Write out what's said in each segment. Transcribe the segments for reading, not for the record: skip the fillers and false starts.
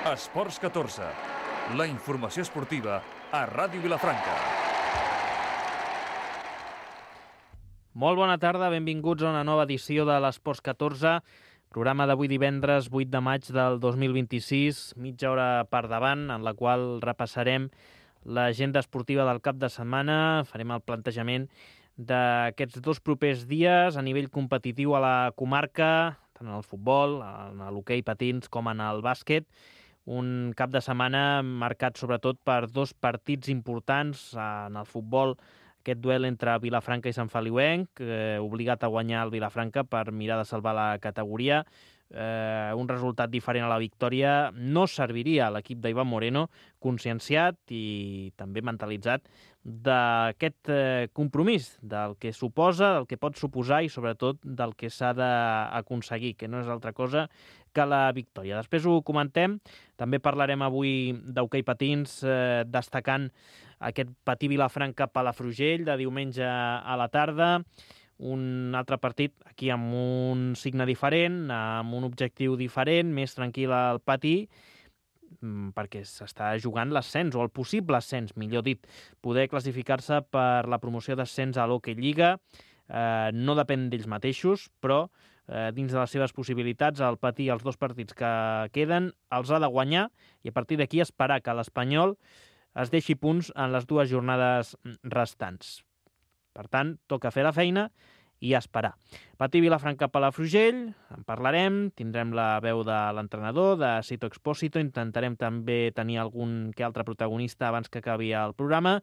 Esports 14, la informació esportiva a Ràdio Vilafranca. Molt bona tarda, benvinguts a una nova edició de l'Esports 14, programa d'avui divendres 8 de maig del 2026, mitja hora per davant, en la qual repassarem l'agenda esportiva del cap de setmana, farem el plantejament d'aquests dos propers dies a nivell competitiu a la comarca, tant en el futbol, en l'hoquei patins com en el bàsquet. Un cap de setmana marcat sobretot per dos partits importants en el futbol, aquest duel entre Vilafranca i Sant Feliuenc, obligat a guanyar el Vilafranca per mirar de salvar la categoria. Un resultat diferent a la victòria no serviria a l'equip d'Ivan Moreno, conscienciat i també mentalitzat d'aquest compromís, del que suposa, del que pot suposar i sobretot del que s'ha d'aconseguir, que no és altra cosa que la victòria. Després ho comentem, també parlarem avui d'hoquei patins, destacant aquest Patí Vilafranca Palafrugell de diumenge a la tarda, un altre partit aquí amb un signe diferent, amb un objectiu diferent, més tranquil al Patí, perquè s'està jugant l'ascens, o el possible ascens, millor dit, poder classificar-se per la promoció d'ascens a l'Hockey Lliga. No depèn d'ells mateixos, però dins de les seves possibilitats, el Patí, els dos partits que queden, els ha de guanyar i a partir d'aquí esperar que l'Espanyol es deixi punts en les dues jornades restants. Per tant, toca fer la feina i esperar. Patí Vilafranca Palafrugell, en parlarem, tindrem la veu de l'entrenador, de Sito Expósito, intentarem també tenir algun que altre protagonista abans que acabi el programa,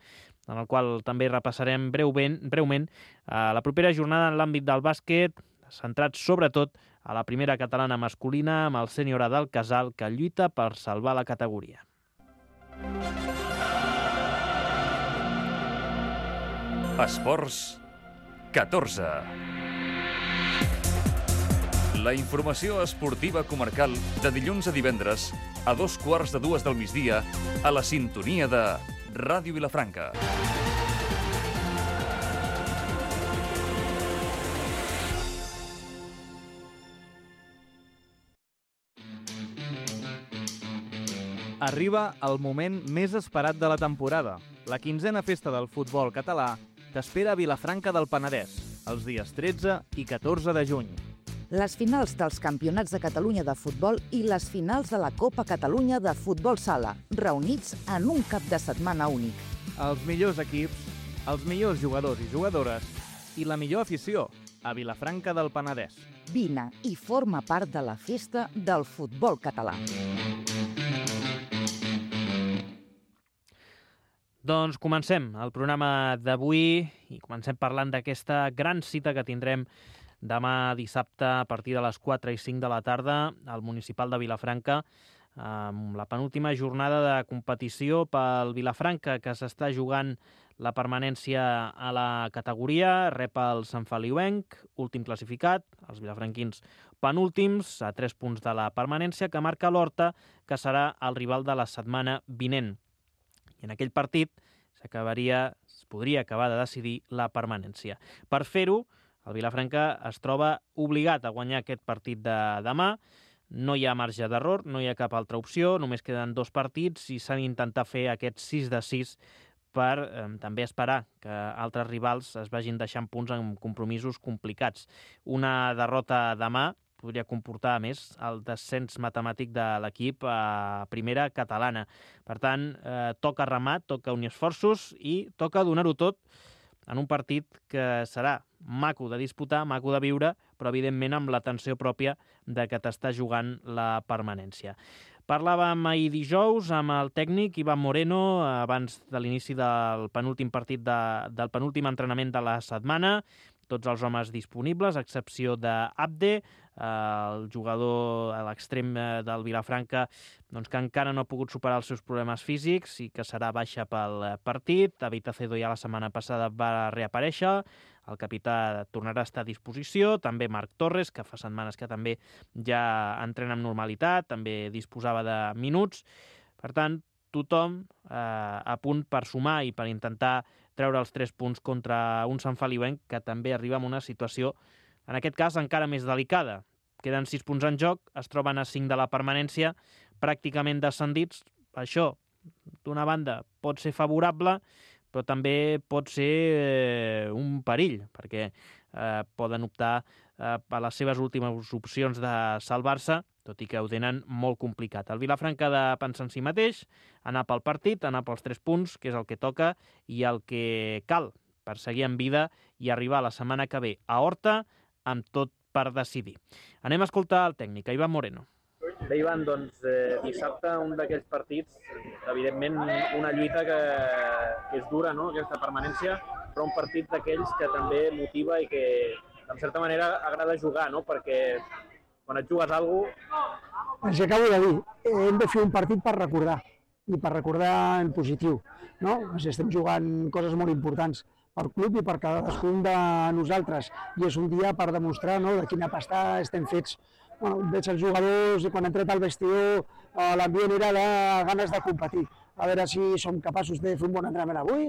en el qual també repassarem breument la propera jornada en l'àmbit del bàsquet, centrat sobretot a la primera catalana masculina amb el sènior del Casal, que lluita per salvar la categoria. Esports 14. La informació esportiva comarcal de dilluns a divendres a 2:15 del migdia a la sintonia de Ràdio Vilafranca. Arriba el moment més esperat de la temporada. La 15a festa del futbol català t'espera a Vilafranca del Penedès, els dies 13 i 14 de juny. Les finals dels Campionats de Catalunya de futbol i les finals de la Copa Catalunya de futbol sala, reunits en un cap de setmana únic. Els millors equips, els millors jugadors i jugadores i la millor afició a Vilafranca del Penedès. Vine i forma part de la festa del futbol català. Doncs comencem el programa d'avui i comencem parlant d'aquesta gran cita que tindrem demà dissabte a partir de les 4 i 5 de la tarda al municipal de Vilafranca, amb la penúltima jornada de competició pel Vilafranca, que s'està jugant la permanència a la categoria. Rep el Sant Feliuenc, últim classificat, els vilafranquins penúltims, a 3 punts de la permanència, que marca l'Horta, que serà el rival de la setmana vinent. I en aquell partit es podria acabar de decidir la permanència. Per fer-ho, el Vilafranca es troba obligat a guanyar aquest partit de demà. No hi ha marge d'error, no hi ha cap altra opció, només queden 2 partits i s'ha d'intentar fer aquest 6 de 6 per també esperar que altres rivals es vagin deixant punts en compromisos complicats. Una derrota demà podria comportar, a més, el descens matemàtic de l'equip a primera catalana. Per tant, toca remar, toca unir esforços i toca donar-ho tot en un partit que serà maco de disputar, maco de viure, però evidentment amb la tensió pròpia de que t'està jugant la permanència. Parlàvem ahir dijous amb el tècnic Ivan Moreno abans de l'inici del penúltim partit del penúltim entrenament de la setmana. Tots els homes disponibles, a excepció d'Abde, el jugador a l'extrem del Vilafranca, doncs, que encara no ha pogut superar els seus problemes físics i que serà baixa pel partit. David Acedo ja la setmana passada va reaparèixer, el capità tornarà a estar a disposició, també Marc Torres, que fa setmanes que també ja entrena amb normalitat, també disposava de minuts. Per tant, tothom a punt per sumar i per intentar treure els 3 punts contra un Sant Feliuenc que també arriba en una situació, en aquest cas, encara més delicada. Queden 6 punts en joc, es troben a 5 de la permanència, pràcticament descendits. Això, d'una banda, pot ser favorable, però també pot ser un perill, perquè poden optar per les seves últimes opcions de salvar-se, tot i que ho tenen molt complicat. El Vilafranca ha de pensar en si mateix, anar pel partit, anar pels 3 punts, que és el que toca i el que cal per seguir en vida i arribar la setmana que ve a Horta amb tot per decidir. Anem a escoltar el tècnic, Ivan Moreno. Bé, Ivan, doncs dissabte un d'aquells partits, evidentment una lluita que és dura, no?, aquesta permanència, però un partit d'aquells que també motiva i que, en certa manera, agrada jugar, no?, perquè quan et jugues alguna cosa... Els acabo de dir, hem de fer un partit per recordar, i per recordar en positiu, no? Estem jugant coses molt importants per club i per cadascun de nosaltres, i és un dia per demostrar, no?, de quina pasta estem fets. Bueno, veig els jugadors, quan han entrat al vestidor, l'ambient era de ganes de competir. A veure si som capaços de fer un bon entrenament avui,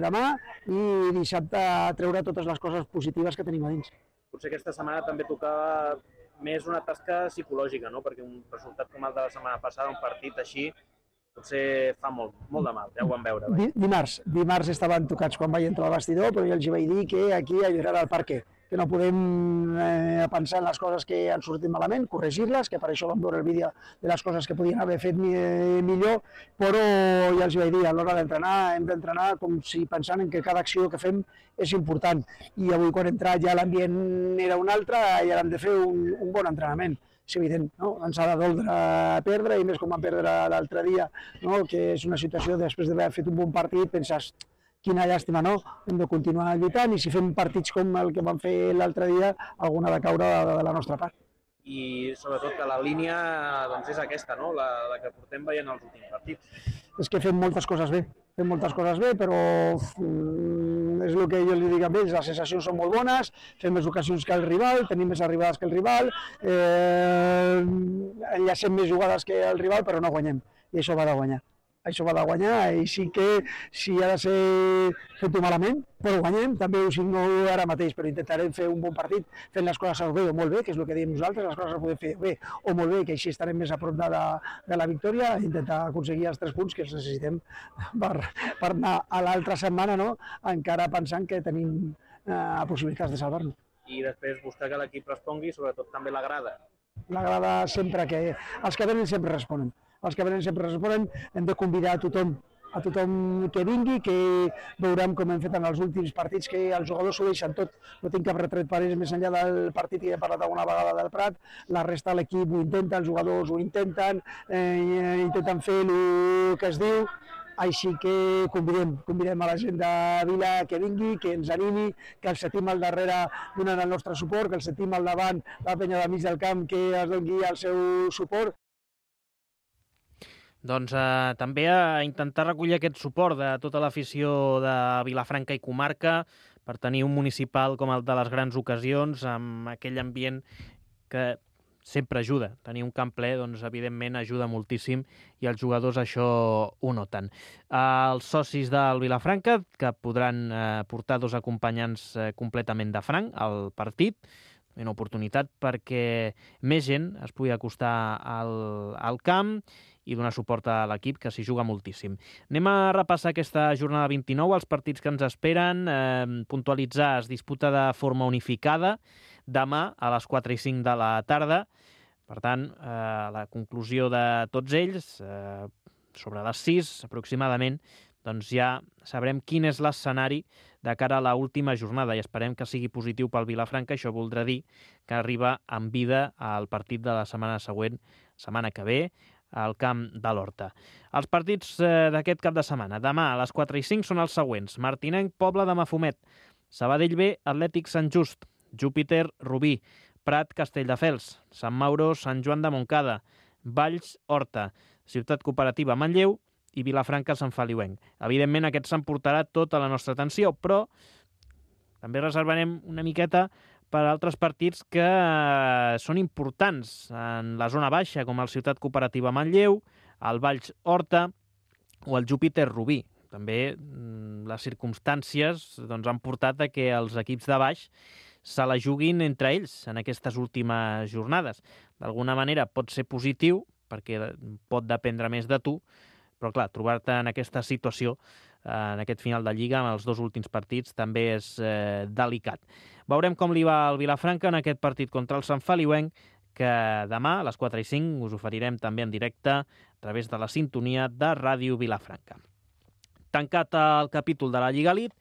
demà, i dissabte treure totes les coses positives que tenim a dins. Potser aquesta setmana també tocava més una tasca psicològica, no?, perquè un resultat com el de la setmana passada, un partit així, potser fa molt de mal, ja ho vam veure. Dimarts estaven tocats quan vaig entrar al vestidor, però jo els vaig dir que aquí era el perquè, que no podem pensar en les coses que han sortit malament, corregir-les, que per això vam veure el vídeo de les coses que podien haver fet millor, però ja els vaig dir, a l'hora d'entrenar, hem d'entrenar com si pensant en que cada acció que fem és important. I avui quan he entrat ja l'ambient era un altre i ara hem de fer un bon entrenament. És evident, no? Ens ha de doldre perdre, i més com vam perdre l'altre dia, no?, que és una situació, després d'haver fet un bon partit, penses, quina llàstima, no? Hem de continuar lluitant, i si fem partits com el que vam fer l'altre dia, alguna ha de caure de la nostra part. I sobretot que la línia doncs, és aquesta, no?, la que portem veient els últims partits. És que fem moltes coses bé, però és el que jo li dic a ells, les sensacions són molt bones, fem més ocasions que el rival, tenim més arribades que el rival, enllacem més jugades que el rival, però no guanyem, i això va de guanyar. Això va de guanyar, i sí que si ha de ser fet-ho malament, però guanyem, també ho signo ara mateix, però intentarem fer un bon partit fent les coses bé o molt bé, que és el que diem nosaltres, les coses les podem fer bé o molt bé, que així estarem més a prop de la victòria, i intentar aconseguir els 3 punts que els necessitem per anar a l'altra setmana, no?, encara pensant que tenim possibilitats de salvar-nos. I després buscar que l'equip respongui, sobretot també la grada. La grada sempre que... Els que venen sempre responen. Hem de convidar a tothom que vingui, que veurem com hem fet en els últims partits, que els jugadors s'ho deixen tot, no tinc cap retret per ells més enllà del partit que he parlat alguna vegada del Prat, la resta de l'equip ho intenta, els jugadors ho intenten, intenten fer el que es diu, així que convidem a la gent de Vila que vingui, que ens animi, que el sentim al darrere donant el nostre suport, que el sentim al davant, la penya del mig del camp, que es doni el seu suport. Doncs també a intentar recollir aquest suport de tota l'afició de Vilafranca i comarca per tenir un municipal com el de les grans ocasions, amb aquell ambient que sempre ajuda. Tenir un camp ple, doncs, evidentment, ajuda moltíssim, i els jugadors això ho noten. Els socis del Vilafranca, que podran portar 2 acompanyants completament de franc al partit, una oportunitat perquè més gent es pugui acostar al camp i donar suport a l'equip, que s'hi juga moltíssim. Anem a repassar aquesta jornada 29, els partits que ens esperen, puntualitzar, es disputa de forma unificada, demà a les 4 i 5 de la tarda. Per tant, la conclusió de tots ells, sobre les 6 aproximadament, doncs ja sabrem quin és l'escenari de cara a l'última jornada, i esperem que sigui positiu pel Vilafranca. Això voldrà dir que arriba amb vida al partit de la setmana següent, setmana que ve, al camp de l'Horta. Els partits d'aquest cap de setmana. Demà a les 4 i 5 són els següents: Martinenc, Pobla de Mafumet; Sabadell B, Atlètic Sant Just; Júpiter, Rubí; Prat, Castelldefels; Sant Mauro, Sant Joan de Montcada; Valls, Horta; Ciutat Cooperativa, Manlleu; i Vilafranca, Sant Feliuenc. Evidentment, aquests s'emportarà tota la nostra atenció, però també reservarem una miqueta per altres partits que són importants en la zona baixa, com el Ciutat Cooperativa Manlleu, el Valls Horta o el Júpiter Rubí. També les circumstàncies han portat a que els equips de baix se la juguin entre ells en aquestes últimes jornades. D'alguna manera pot ser positiu perquè pot dependre més de tu, però clar, trobar-te en aquesta situació, en aquest final de Lliga, amb els 2 últims partits, també és delicat. Veurem com li va al Vilafranca en aquest partit contra el Sant Feliuenc, que demà a les 4:05 us oferirem també en directe a través de la sintonia de Ràdio Vilafranca. Tancat el capítol de la Lliga Elite,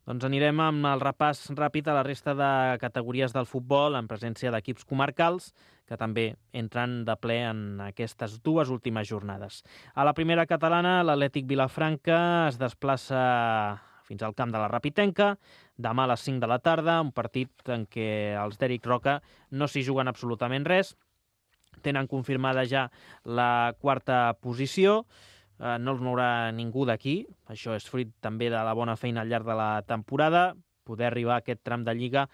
doncs anirem amb el repàs ràpid a la resta de categories del futbol en presència d'equips comarcals que també entran de ple en aquestes 2 últimes jornades. A la primera catalana, l'Atlètic Vilafranca es desplaça fins al camp de la Rapitenca, demà a les 5 de la tarda, un partit en què els d'Eric Roca no s'hi juguen absolutament res, tenen confirmada ja la 4a posició, no els mourà ningú d'aquí, això és fruit també de la bona feina al llarg de la temporada, poder arribar a aquest tram de Lliga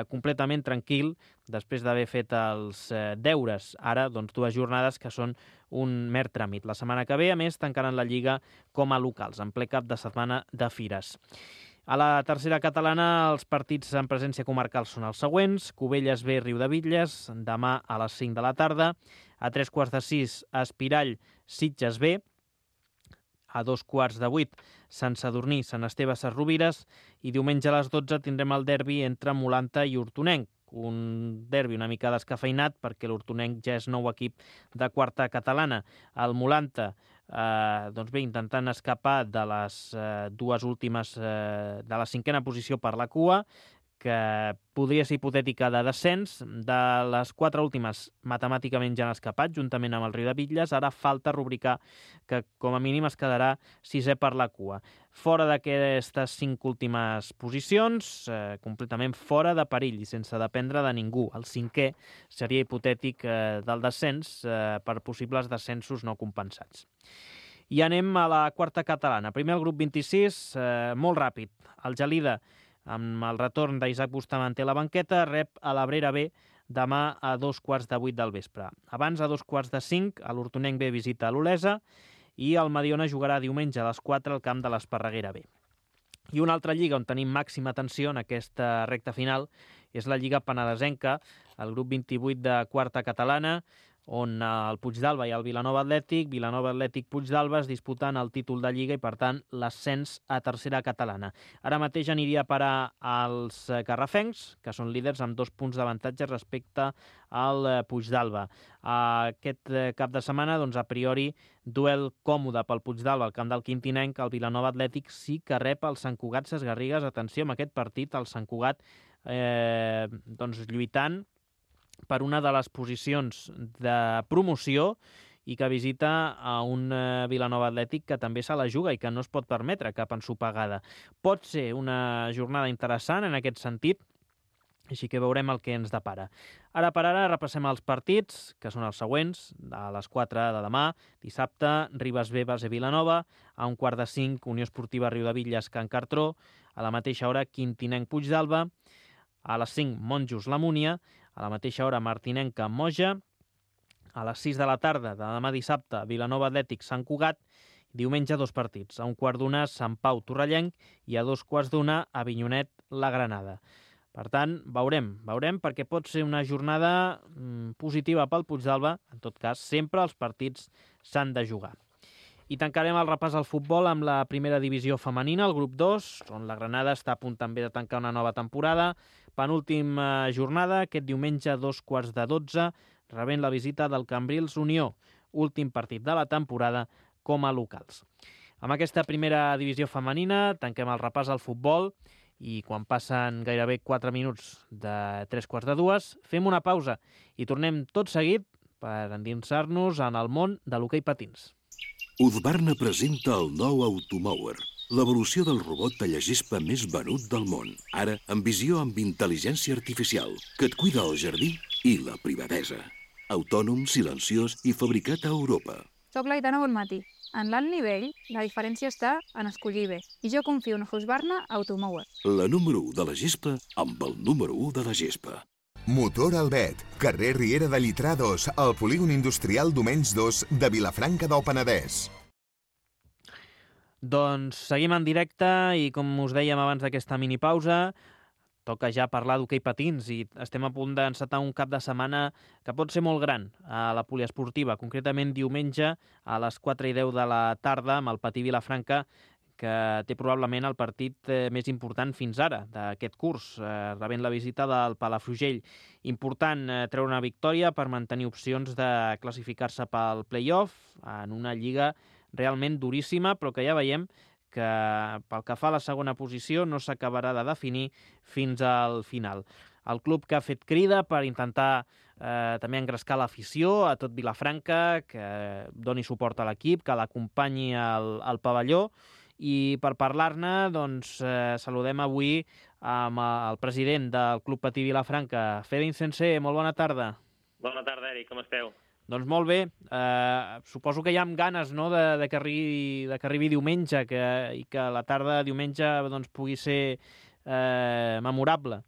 completament tranquil, després d'haver fet els deures. Ara, doncs, 2 jornades que són un mer tràmit. La setmana que ve, a més, tancaran la Lliga com a locals, en ple cap de setmana de fires. A la tercera catalana, els partits en presència comarcal són els següents: Cubelles B, Riudebitlles, demà a les 5 de la tarda, a 3:15, Espirall, Sitges B, a 2:15, Sant Sadurní, Sant Esteve, Ses Rovires, i diumenge a les 12 tindrem el derbi entre Molanta i Hortonenc, un derbi una mica descafeinat perquè l'Hortonenc ja és nou equip de 4a catalana. El Molanta, doncs bé, intentant escapar de les 2 últimes, de la 5a posició per la cua, que podria ser hipotètica de descens. De les 4 últimes matemàticament ja han escapat, juntament amb el Riudebitlles. Ara falta rubricar que com a mínim es quedarà 6è per la cua. Fora d'aquestes 5 últimes posicions, completament fora de perill i sense dependre de ningú. El 5è seria hipotètic del descens per possibles descensos no compensats. I anem a la 4a catalana. Primer el grup 26, molt ràpid. El Gelida, amb el retorn d'Isaac Bustamante a la banqueta, rep a l'Abrera B demà a 2:15 del vespre. Abans, a 2:45, l'Hortonenc B visita a l'Olesa i el Mediona jugarà diumenge a les 4 al camp de l'Esparreguera B. I una altra lliga on tenim màxima tensió en aquesta recta final és la Lliga Penedesenca, el grup 28 de 4a catalana, on el Puigdàlber i el Vilanova Atlètic Puigdàlber es disputen el títol de Lliga i, per tant, l'ascens a tercera catalana. Ara mateix aniria a parar als garrafencs, que són líders amb 2 punts d'avantatge respecte al Puigdàlber. Aquest cap de setmana, doncs, a priori, duel còmode pel Puigdàlber al camp del Quintinenc. El Vilanova Atlètic sí que rep el Sant Cugat Ses Garrigues. Atenció amb aquest partit, el Sant Cugat doncs, lluitant per una de les posicions de promoció i que visita a un Vilanova Atlètic que també se la juga i que no es pot permetre cap ensopegada. Pot ser una jornada interessant en aquest sentit, així que veurem el que ens depara. Ara per ara repassem els partits, que són els següents. A les 4 de demà, dissabte, Ribes B, Base Vilanova, a 4:45, Unió Esportiva Riudebitlles, Can Cartró, a la mateixa hora, Quintinenc Puigdàlber, a les 5, Monjos La Múnia, a la mateixa hora, Martinenca Moja, a les 6 de la tarda de demà dissabte, Vilanova Atlètic Sant Cugat, diumenge 2 partits, a 1:15, Sant Pau Torrellenc i a 2:15, Avinyonet La Granada. Per tant, veurem, perquè pot ser una jornada positiva pel Puigdàlber. En tot cas, sempre els partits s'han de jugar. I tancarem el repàs al futbol amb la primera divisió femenina, el grup 2, on la Granada està a punt també de tancar una nova temporada. Penúltima jornada, aquest diumenge a 2:15, rebent la visita del Cambrils Unió, últim partit de la temporada com a locals. Amb aquesta primera divisió femenina tanquem el repàs al futbol i quan passen gairebé 4 minuts de 3:15 fem una pausa i tornem tot seguit per endinsar-nos en el món de l'hoquei patins. Husqvarna presenta el nou Automower, l'evolució del robot tallagespa més venut del món. Ara, amb visió amb intel·ligència artificial, que et cuida el jardí i la privadesa. Autònom, silenciós i fabricat a Europa. Soc l'Aitana Bonmatí. En l'alt nivell, la diferència està en escollir bé. I jo confio en Husqvarna Automower. La número 1 de la gespa amb el número 1 de la gespa. Motor Albet, carrer Riera de Llitrà 2, al polígon industrial Domenys 2 de Vilafranca del Penedès. Doncs seguim en directe i, com us dèiem abans d'aquesta minipausa, toca ja parlar d'hoquei patins i estem a punt d'encetar un cap de setmana que pot ser molt gran a la poliesportiva, concretament diumenge a les 4:10 de la tarda amb el Patí Vilafranca, que té probablement el partit més important fins ara d'aquest curs, rebent la visita del Palafrugell. Important treure una victòria per mantenir opcions de classificar-se pel play-off en una lliga realment duríssima, però que ja veiem que pel que fa a la segona posició no s'acabarà de definir fins al final. El club que ha fet crida per intentar també engrescar l'afició a tot Vilafranca, que doni suport a l'equip, que l'acompanyi al pavelló. I per parlar-ne, doncs, saludem avui amb el president del Club Patí Vilafranca, Fede Insensé. Molt bona tarda. Bona tarda, Eric, com esteu? Doncs molt bé. Suposo que hi ha ganes, no?, de que arribi diumenge i que la tarda de diumenge doncs, pugui ser memorable.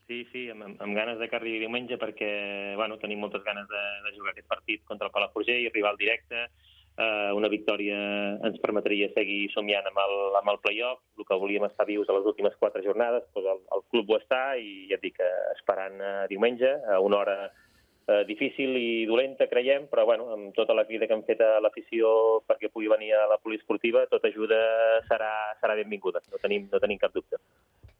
Sí, amb ganes de que arribi diumenge perquè tenim moltes ganes de jugar aquest partit contra el Palafrugell, rival directe. Una victòria ens permetria seguir somiant amb el play-off. El que volíem estar vius a les últimes 4 jornades, doncs el club ho està i ja et dic, esperant diumenge a una hora difícil i dolenta, creiem, però amb tota la crida que hem fet a l'afició perquè pugui venir a la poliesportiva, tota ajuda serà benvinguda, no tenim cap dubte.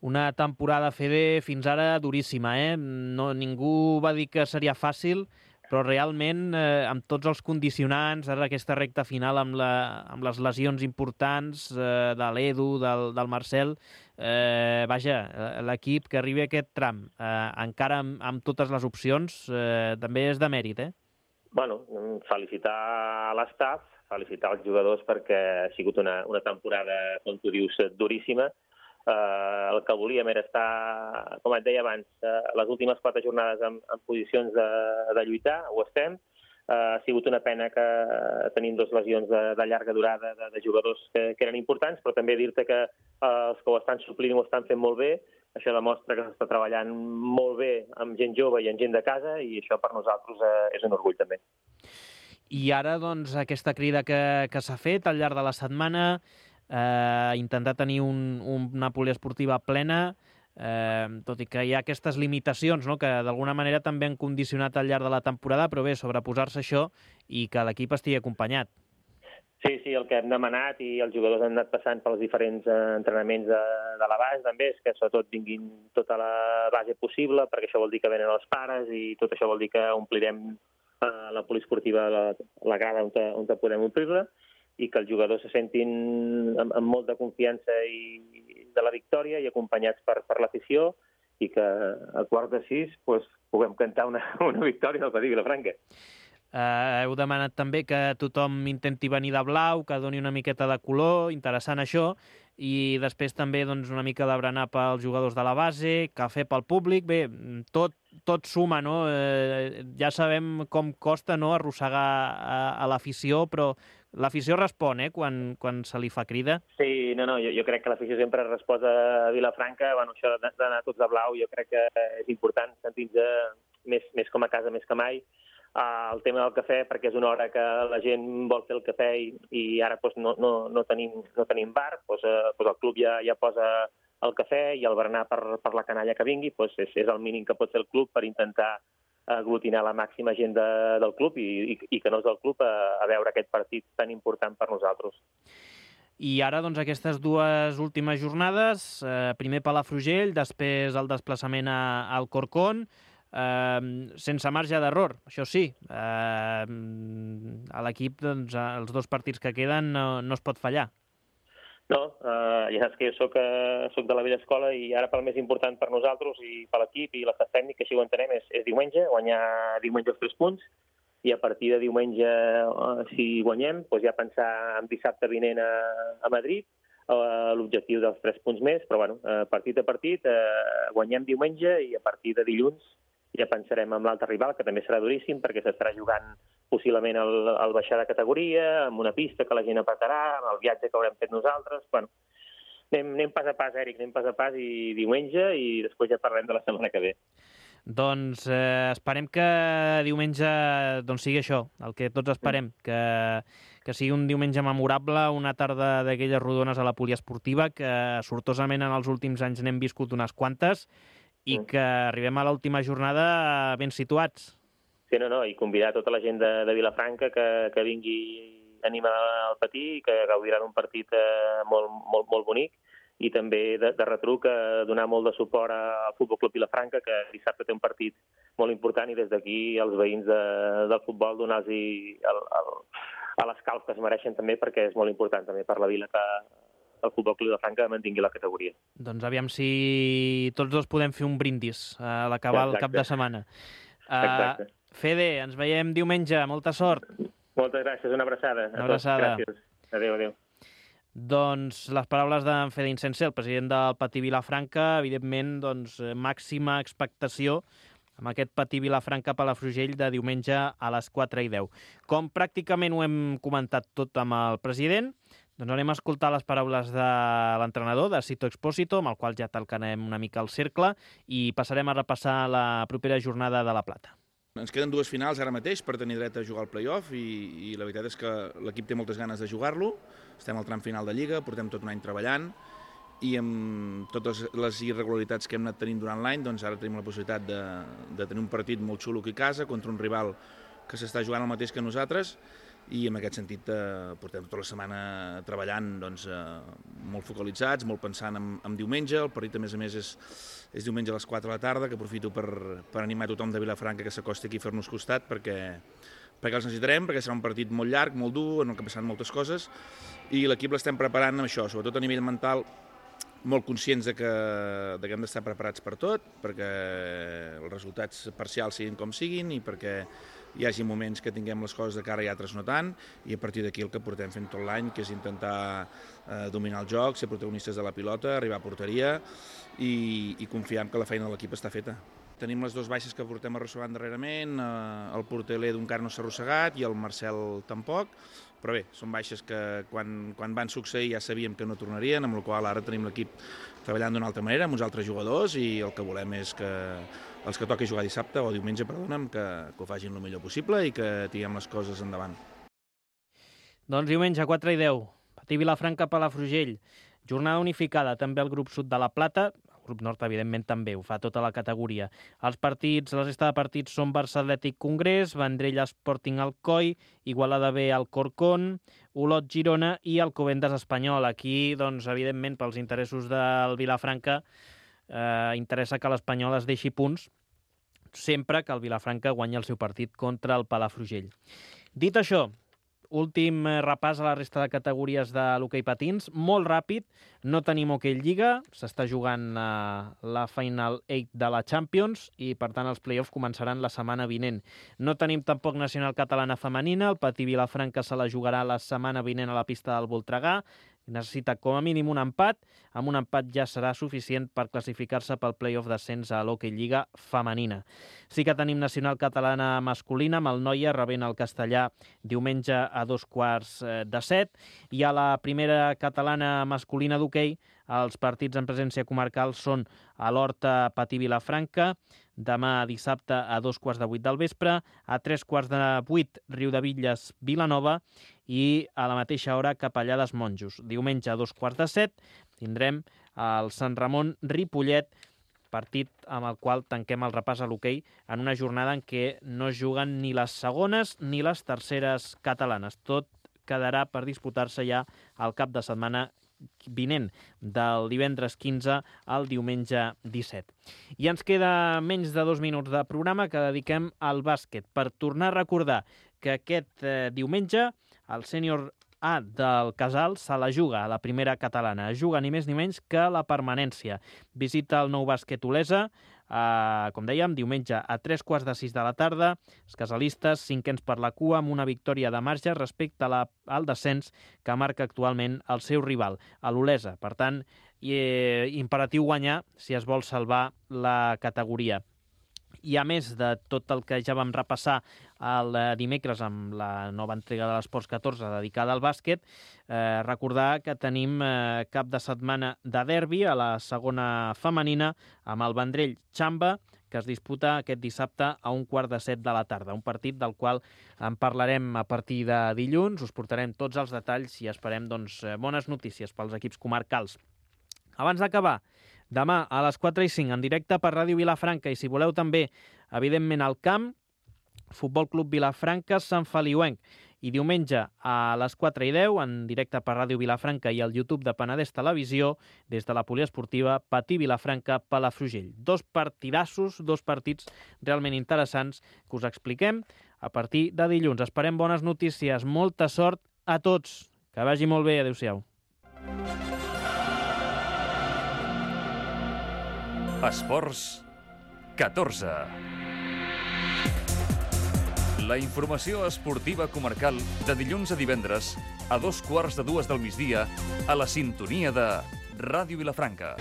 Una temporada, Fede, fins ara duríssima, ningú va dir que seria fàcil, però realment, amb tots els condicionants, ara aquesta recta final amb les lesions importants de l'Edu, del Marcel, l'equip que arribi a aquest tram, encara amb totes les opcions, també és de mèrit, felicitar l'estaf, felicitar els jugadors perquè ha sigut una temporada, com tu dius, duríssima. El que volíem era estar, com et deia abans, les últimes 4 jornades en posicions de lluitar, ho estem. Ha sigut una pena que tenim 2 lesions de llarga durada de jugadors que eren importants, però també dir-te que els que ho estan suplint ho estan fent molt bé. Això demostra que s'està treballant molt bé amb gent jove i amb gent de casa i això per nosaltres és un orgull també. I ara, doncs, aquesta crida que s'ha fet al llarg de la setmana, intentar tenir una poliesportiva plena, tot i que hi ha aquestes limitacions, no?, que d'alguna manera també han condicionat al llarg de la temporada, però bé, sobreposar-se això i que l'equip estigui acompanyat. Sí, el que hem demanat i els jugadors han anat passant pels diferents entrenaments de la base també és que sobretot vinguin tota la base possible, perquè això vol dir que venen els pares i tot això vol dir que omplirem la poliesportiva, la grada on podem omplir-la, i que els jugadors se sentin amb molta confiança de la victòria i acompanyats per l'afició i que a 5:15 puguem cantar una victòria del Patí Vilafranca. Heu demanat també que tothom intenti venir de blau, que doni una miqueta de color, interessant això, i després també una mica de berenar pels jugadors de la base, cafè pel públic, bé, tot suma, no? Ja sabem com costa, no?, arrossegar a l'afició, però l'afició respon, quan se li fa crida? Sí, jo crec que l'afició sempre respon a Vilafranca, això d'anar tots de blau jo crec que és important, sentir-nos més com a casa, més que mai. El tema del cafè, perquè és una hora que la gent vol fer el cafè i ara no tenim bar, el club ja posa el cafè i el berenar per la canalla que vingui, és el mínim que pot fer el club per intentar aglutinar la màxima gent del club i que no és del club a veure aquest partit tan important per nosaltres. I ara, doncs, aquestes 2 últimes jornades, primer Palafrugell, després el desplaçament al Corcón, sense marge d'error, això sí. A l'equip, doncs, els 2 partits que queden no es pot fallar. No, ja saps que jo soc de la vella escola i ara pel més important per nosaltres i per l'equip i l'estat tècnic, que així ho entenem, és diumenge, guanyar diumenge els 3 punts i a partir de diumenge, si guanyem, ja pensar en dissabte vinent a Madrid, l'objectiu dels 3 punts més, però partit a partit, guanyem diumenge i a partir de dilluns ja pensarem en l'altre rival, que també serà duríssim, perquè s'estarà jugant possiblement el baixar de categoria, amb una pista que la gent apretarà, amb el viatge que haurem fet nosaltres. Anem pas a pas, Eric, anem pas a pas i diumenge i després ja parlem de la setmana que ve. Doncs esperem que diumenge sigui això, el que tots esperem, que sigui un diumenge memorable, una tarda d'aquelles rodones a la poliesportiva, que sortosament en els últims anys n'hem viscut unes quantes, i que arribem a l'última jornada ben situats. Sí, i convidar tota la gent de Vilafranca que vingui a animar al Patí i que gaudirà d'un partit molt bonic, i també de retruc donar molt de suport al Futbol Club Vilafranca, que dissabte té un partit molt important, i des d'aquí els veïns del futbol donar-los a l'escalf que es mereixen també, perquè és molt important també per la vila que el Futbol Club Vilafranca mantingui la categoria. Doncs aviam si tots dos podem fer un brindis a l'acabar el cap de setmana. Exacte. Fede, ens veiem diumenge, molta sort. Moltes gràcies, una abraçada. Una abraçada. Gràcies. Adéu. Doncs les paraules d'en Fede Insensé, el president del Patí Vilafranca, evidentment, màxima expectació amb aquest Patí Vilafranca Palafrugell de diumenge a les 4:10. Com pràcticament ho hem comentat tot amb el president, doncs anem a escoltar les paraules de l'entrenador, de Sito Expósito, amb el qual ja talcarem una mica el cercle, i passarem a repassar la propera jornada de La Plata. Ens queden dues finals ara mateix per tenir dret a jugar al play-off i la veritat és que l'equip té moltes ganes de jugar-lo. Estem al tram final de Lliga, portem tot un any treballant i amb totes les irregularitats que hem anat tenint durant l'any, doncs ara tenim la possibilitat de tenir un partit molt xulo aquí a casa contra un rival que s'està jugant el mateix que nosaltres, i en aquest sentit portem tota la setmana treballant molt focalitzats, molt pensant en diumenge. El partit, a més, és diumenge a les 4 de la tarda, que aprofito per animar tothom de Vilafranca que s'acosti aquí a fer-nos costat, perquè els necessitarem, perquè serà un partit molt llarg, molt dur, en el que passaran moltes coses, i l'equip l'estem preparant amb això, sobretot a nivell mental, molt conscients de que hem d'estar preparats per tot, perquè els resultats parcials siguin com siguin i perquè hi hagi moments que tinguem les coses de cara i altres no tant, i a partir d'aquí el que portem fent tot l'any, que és intentar dominar el joc, ser protagonistes de la pilota, arribar a porteria i confiar que la feina de l'equip està feta. Tenim les dues baixes que portem arrossegant darrerament, el porter l'Edu encara no s'ha arrossegat i el Marcel tampoc, però bé, són baixes que quan van succeir ja sabíem que no tornarien, amb la qual ara tenim l'equip treballant d'una altra manera, amb uns altres jugadors, i el que volem és que els que toqui jugar dissabte o diumenge, perdona'm, que ho facin el millor possible i que tinguem les coses endavant. Doncs diumenge, 4:10, Patí Vilafranca, Palafrugell. Jornada unificada, també al grup sud de La Plata. El grup nord, evidentment, també ho fa tota la categoria. La resta de partits són Barça Atlètic Congrés, Vendrell Sporting Alcoi, Igualada B Alcorcón, Olot Girona i Alcobendas Espanyol. Aquí, doncs, evidentment, pels interessos del Vilafranca, interessa que l'Espanyol es deixi punts sempre que el Vilafranca guanyi el seu partit contra el Palafrugell. Dit això, últim repàs a la resta de categories de l'hoquei patins, molt ràpid, no tenim hoquei Lliga, s'està jugant la Final 8 de la Champions i, per tant, els play-offs començaran la setmana vinent. No tenim tampoc nacional catalana femenina, el Patí Vilafranca se la jugarà la setmana vinent a la pista del Voltregà, necessita com a mínim un empat, amb un empat ja serà suficient per classificar-se pel play-off d'ascens a l'hoquei Lliga femenina. Sí que tenim nacional catalana masculina, amb el Noia rebent el Castellà diumenge a 6:45, i a la primera catalana masculina d'hoquei els partits en presència comarcal són a l'Horta Patí Vilafranca, demà dissabte a 7:15 del vespre, a 7:45 Riudebitlles Vilanova i a la mateixa hora Capellades Monjos. Diumenge a 7:15 tindrem el Sant Ramon Ripollet, partit amb el qual tanquem el repàs a l'hoquei en una jornada en què no es juguen ni les segones ni les terceres catalanes. Tot quedarà per disputar-se ja al cap de setmana vinent, del divendres 15 al diumenge 17. I ens queda menys de 2 minuts de programa que dediquem al bàsquet, per tornar a recordar que aquest diumenge el sènior A del Casal se la juga a la primera catalana. Juga ni més ni menys que la permanència. Visita el Nou Bàsquet Olesa, com dèiem, diumenge a 3:15 de la tarda. Els casalistes, cinquens per la cua, amb una victòria de marge respecte al descens que marca actualment el seu rival, l'Olesa. Per tant, imperatiu guanyar si es vol salvar la categoria. I a més de tot el que ja vam repassar el dimecres amb la nova entrega de l'Esports 14 dedicada al bàsquet, recordar que tenim cap de setmana de derbi a la segona femenina amb el Vendrell Xamba, que es disputa aquest dissabte a 7:15 de la tarda. Un partit del qual en parlarem a partir de dilluns, us portarem tots els detalls i esperem bones notícies pels equips comarcals. Abans d'acabar, demà a les 4:05 en directe per Ràdio Vilafranca i si voleu també, evidentment, al camp, Futbol Club Vilafranca, Sant Feliuenc. I diumenge a les 4:10 en directe per Ràdio Vilafranca i al YouTube de Penedès Televisió, des de la poliesportiva Patí Vilafranca Palafrugell. 2 partidassos, 2 partits realment interessants que us expliquem a partir de dilluns. Esperem bones notícies, molta sort a tots. Que vagi molt bé, adéu-siau. Esports 14. La informació esportiva comarcal de dilluns a divendres a 2:15 del migdia a la sintonia de Ràdio Vilafranca.